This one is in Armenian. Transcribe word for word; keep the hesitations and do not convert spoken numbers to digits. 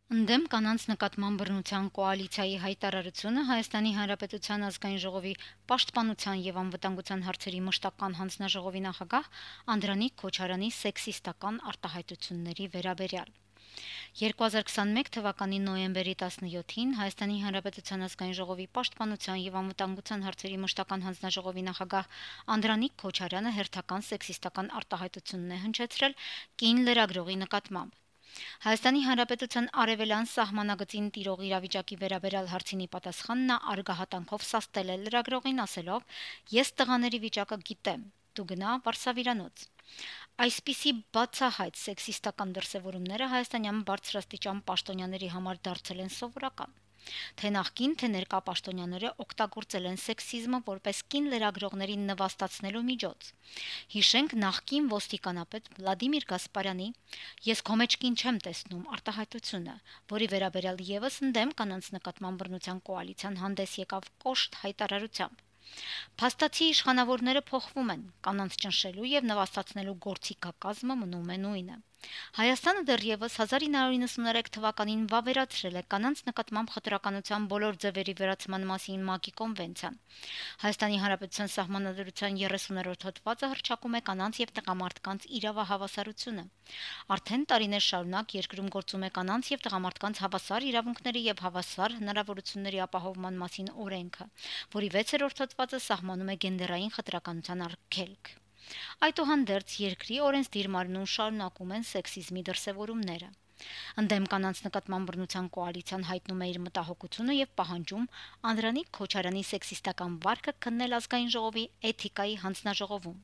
Ընդդեմ կանանց նկատմամբ բռնության կոալիցիայի հայտարարությունը Հայաստանի Հանրապետության ազգային ժողովի պաշտպանության եւ անվտանգության հարցերի մշտական հանձնաժողովի նախագահ Անդրանիկ Քոչարյանի սեքսիստական արտահայտությունների վերաբերյալ։ երկու հազար քսաներկու թվականի նոյեմբերի տասնյոթին Հայաստանի Հանրապետության ազգային ժողովի պաշտպանության եւ անվտանգության հարցերի մշտական հանձնաժողովի նախագահ Անդրանիկ Քոչարյանը հերթական սեքսիստական արտահայտությունն է հնչեցրել կին լրագրողի նկատմամբ։ Հայաստանի Հանրապետության արևելյան սահմանագծին տիրող իրավիճակի վերաբերյալ հարցինի պատասխան նա արգահատանքով սաստել է լրագրողին ասելով. «Ես տղաների վիճակը գիտեմ, դու գնա Վարսավիրանոց»։ Այսպիսի բացահայտ սեքսիստական դրսևորումները հայաստանյան բարձրաստիճան պաշտոնյաների համար դարձել են սովորական։ Թե նախկին, թե ներկա պաշտոնյաները օգտագործել են սեքսիզմը որպես կին լրագրողներին նվաստացնելու միջոց։ Հիշենք նախկին ոստիկանապետ Վլադիմիր Գասպարյանի «Ես քո մեջ կին չեմ տեսնում» արտահայտությունը, որի վերաբերյալ եւս ընդդեմ կանանց նկատմամբ բռնության կոալիցիան հանդես եկավ կոշտ հայտարարությամբ։ Փաստացի իշխանավորները փոխվում են, կանանց ճնշելու եւ նվաստացնելու գործիքակազմը մնում է նույնը։ Հայաստանը դեռևս հազար ինը հարյուր նվաթ թվականին վավերացրել է կանանց նկատմամբ խտրականության բոլոր ձևերի վերացման մասին ՄԱԿ-ի կոնվենցիան։ Հայաստանի Հանրապետության Սահմանադրության երեսուներորդ հոդվածը հռչակում է կանանց եւ տղամարդկանց իրավահավասարությունը։ Արդեն տարիներ շարունակ երկրում գործում է կանանց եւ տղամարդկանց հավասար իրավունքների եւ հավասար հնարավորությունների ապահովման մասին օրենքը, որի վեցերորդ հոդվածը սահմանում է գենդերային խտրականության արգելք։ Այդուհանդերձ երկրի օրենսդիր մարմնում շարունակում են սեքսիզմի դրսևորումները։ Ընդդեմ կանանց նկատմամբ բռնության կոալիցիան հայտնում է իր մտահոգությունը եւ պահանջում Անդրանիկ Քոչարյանի սեքսիստական վարքը քննել ազգային ժողովի էթիկայի հանձնաժողովում։